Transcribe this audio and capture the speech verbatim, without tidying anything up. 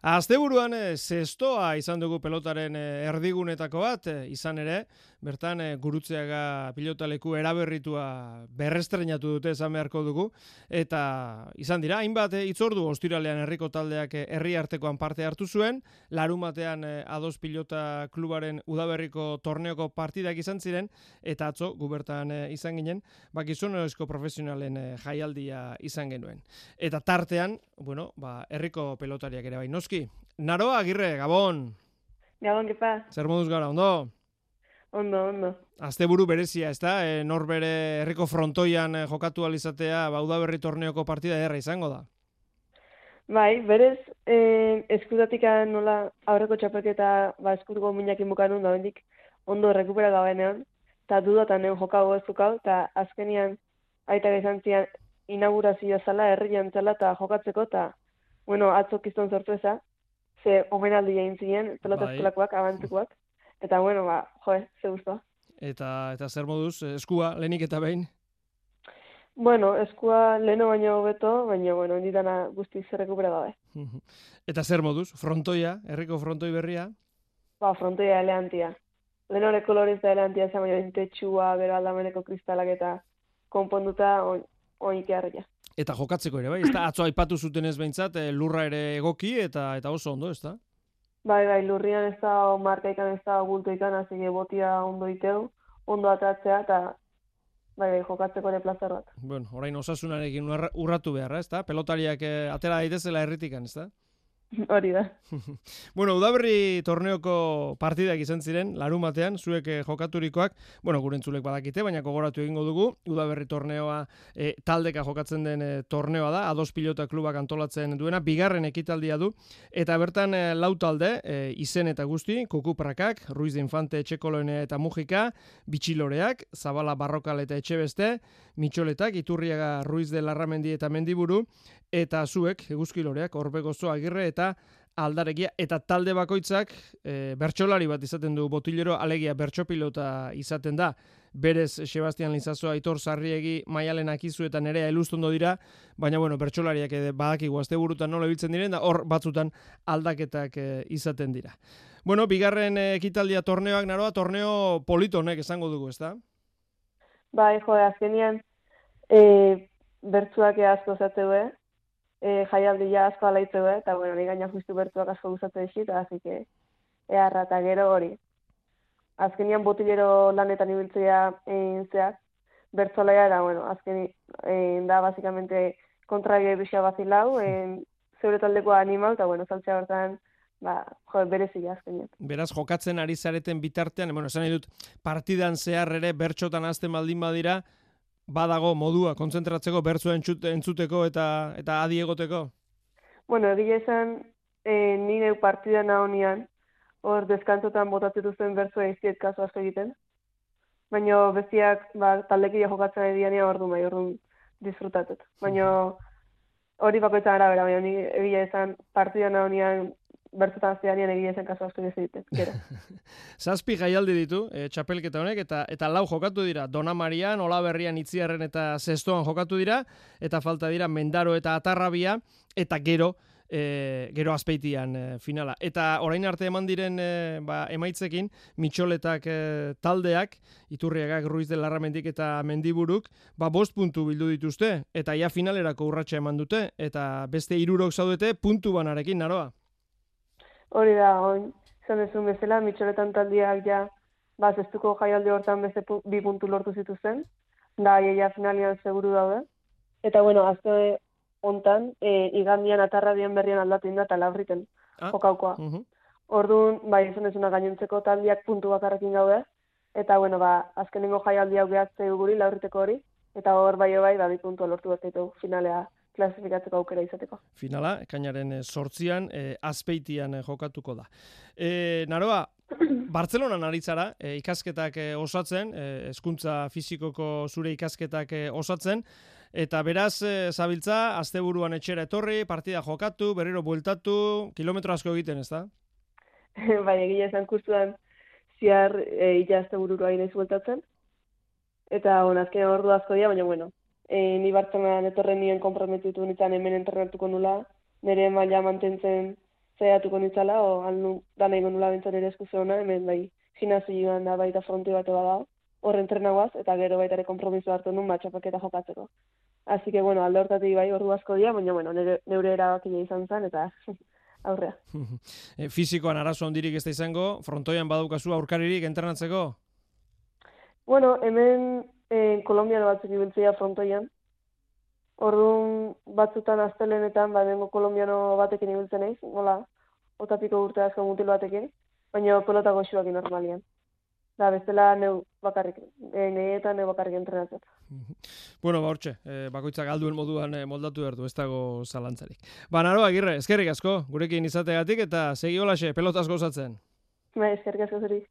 Asteburuan eh, zestoa izan dugu pelotaren eh, erdigunetako bat, eh, izan ere, bertan eh, Gurutzeaga pilotaleku eraberritua berrestrenatu dute esan beharko dugu, eta izan dira, hainbat eh, itzordu ostiralean herriko taldeak eh, herri artekoan parte hartu zuen, larumatean eh, Ados Pilota Klubaren udaberriko torneoko partidak izan ziren, eta atzo gubertan eh, izan ginen, bakizunezko profesionalen eh, jaialdia izan genuen. Eta tartean, bueno, ba, herriko pelotariak ere bai, noski. Naroa Agirre, Gabon. Gabon, kepa. Zer moduz gara, ondo? Ondo, ondo. Asteburu berezia, ez da? E, nor bere herriko frontoian e, jokatu alizatea, ba, udaberri torneoko partida erra izango da. Bai, berez, eh, eskutatik nola aurreko txapelketa ba, eskutuko minakin bukanun da bendik ondo rekupera gabenean, eta dudatan egon jokau ez dukau, eta azkenian aita izan zian inaugurazioa zala, herrian zala, eta jokatzeko, eta bueno, atzo kiston sortu eza, ze omenaldi egin ziren, pelota Bai. eskolakoak, abantzikoak, eta bueno, ba, joe, ze guztua. Eta, eta zer moduz, eskua, lehenik eta behin? Bueno, eskua leheno baino hobeto, baina, bueno, inditana guztiz errekupera gabe. Eta zer moduz, frontoia, herriko frontoi berria? Ba, frontoia eleantia. Lehenore koloriz da eleantia, zen baina intetxua, gero aldameneko kristalak eta konponduta on, onik harria. Eta jokatzeko ere, bai? Ez da, atzo aipatu zuten ez behintzat, e, lurra ere egoki eta eta oso ondo, ez da? Bai, bai, lurrian ez da, markaikan ez da, bultoikan, hasi botia ondo iteu, ondo atatzea, eta bai, bai, jokatzeko ere plazer bat. Bueno, orain osasunarekin urra- urratu beharra, ez da? Pelotariak e, atera daitezela herritikan, ez da? Hori da. Bueno, udaberri torneoko partidak izan ziren, larumatean, zuek eh, jokaturikoak, bueno, gure entzulek badakite, baina gogoratu egingo dugu, udaberri torneoa eh, taldeka jokatzen den eh, torneoa da, Ados Pilota Klubak antolatzen duena, bigarren ekitaldia du, eta bertan eh, lau talde, eh, izen eta guzti, Kukuprakak, Ruiz de Infante, Etxekolone eta Mujika, Bitxiloreak, Zabala Barrokal eta Etxebeste, Mitxoletak, Iturriaga, Ruiz de Larramendi eta Mendiburu, eta zuek, Eguzkiloreak, Orbegozo, Agirre eta Aldaregia, eta talde bakoitzak e, bertsolari bat izaten du botilero, alegia bertsopilota izaten da, berez Sebastian Lizazoa, Aitor Sarriegi, Maialen Akizu eta Nerea Elustondo dira, baina bueno, bertsolariak ere badakigu asteburutan nola ibiltzen diren, da hor batzutan aldaketak e, izaten dira. Bueno, bigarren e, ekitaldia torneoak naroa, torneo polito honek esango dugu, ezta? Bai, jo, azkenian, e, bertzuak asko zateu, E, jaialdia asko alaitzeu, eta bueno, ni gaina justu bertuak asko guztatze dixit, así que eharra eta gero hori. Azkenian botilero lanetan ibiltzea egin zeak, bertzolaia da, bueno, azkeni e, da, basikamente, kontrabie bisa bazilau, e, zeure taldeko animau, eta bueno, saltzea bertan, ba, jo, berezia azkenian. Beraz, jokatzen ari zareten bitartean, bueno, esan nahi dut, partidan zehar ere bertxotan azten baldin badira, badago modua kontzentratzeko bertzua entzuteko eta eta adi egoteko? Bueno, egia esan, e, nire partida nahonian, hor deskantzotan botatzen duzen bertzua izkiet kaso asko egiten. Baina bestiak, ba, taldekia jokatzen ari dianean hor du bai, hor du disfrutatut. Baina hori bakoitzan arabera, baina ni egia esan partida nahonian bertzutan zeanian egia esan kaso asko egiten. Gero. Zazpi jaialdi ditu, e, txapelketa honek, eta eta lau jokatu dira. Dona Marian, Olaberrian, Itziarren eta Zestoan jokatu dira, eta falta dira Mendaro eta Atarrabia, eta gero, e, gero Azpeitian e, finala. Eta orain arte eman diren e, ba, emaitzekin, Mitxoletak e, taldeak, Iturriagak, Ruiz de Larramendik eta Mendiburuk, ba, bost puntu bildu dituzte, eta ja finalerako urratsa eman dute, eta beste hirurok zaudete puntu banarekin, naroa. Hori da, oin, zan dezun bezala, Mitxoletan taldiak ja, ba, zestuko jaialdi hortan beste pu, bi puntu lortu zituzen, da, ja finalian seguru daude. Eta, bueno, azte hontan, e, igandian atarrabien berrian aldatu inda eta labriten Ah, jokaukoa. uh -huh. Orduan, bai, izan dezuna gainontzeko taldiak puntu bakarrekin gaude, eta, bueno, ba, azkenengo jaialdi hau gehatzea guri, laurriteko hori, eta hor bai bai, ba, bi puntua lortu bat ditu finalea klasifikatzeko aukera izateko. Finala, ekainaren sortzian, e, Azpeitian e, jokatuko da. E, Naroa, Bartzelonan ari zara, e, ikasketak e, osatzen, e, hezkuntza fisikoko zure ikasketak e, osatzen, eta beraz, e, zabiltza, asteburuan etxera etorri, partida jokatu, berriro bueltatu, kilometro asko egiten, ez da? Bai, egia esan kursuan ziar e, ila asteburua inaiz bueltatzen, eta on, azken ordu asko dira, baina bueno, E, ni Bartzelonan etorren nien konprometitu nintzen hemen entrenatuko nula, nire maila mantentzen zaiatuko nintzala, o alnu dana ingo nula bentzan ere eskuze hona, hemen bai gimnasioan da baita fronte bat bada, horren trenagoaz, eta gero baita ere kompromiso hartu nun, matxapaketa jokatzeko. Así que, bueno, alde hortatik bai ordu asko dira, baina, bueno, neure, neure erabakia izan zen, eta aurrea. E, fizikoan arazo handirik ez da izango, frontoian badaukazu aurkaririk entrenatzeko? Bueno, hemen eh, kolombiano batzuk ibiltzea frontoian. Orduan batzutan astelenetan, ba, bengo kolombiano batekin ibiltzen naiz, nola, otapiko urte asko mutil batekin, baina pelota goxuakin normalian. Da, bestela neu bakarrik, e, nehietan neu bakarrik entrenatzen. Bueno, ba, hortxe, e, bakoitzak alduen moduan e, moldatu behar du, ez dago zalantzarik. Ba, Naro, Agirre, eskerrik asko, gurekin izategatik, eta segi holaxe, pelotaz gozatzen. Ba, eskerrik asko zuri.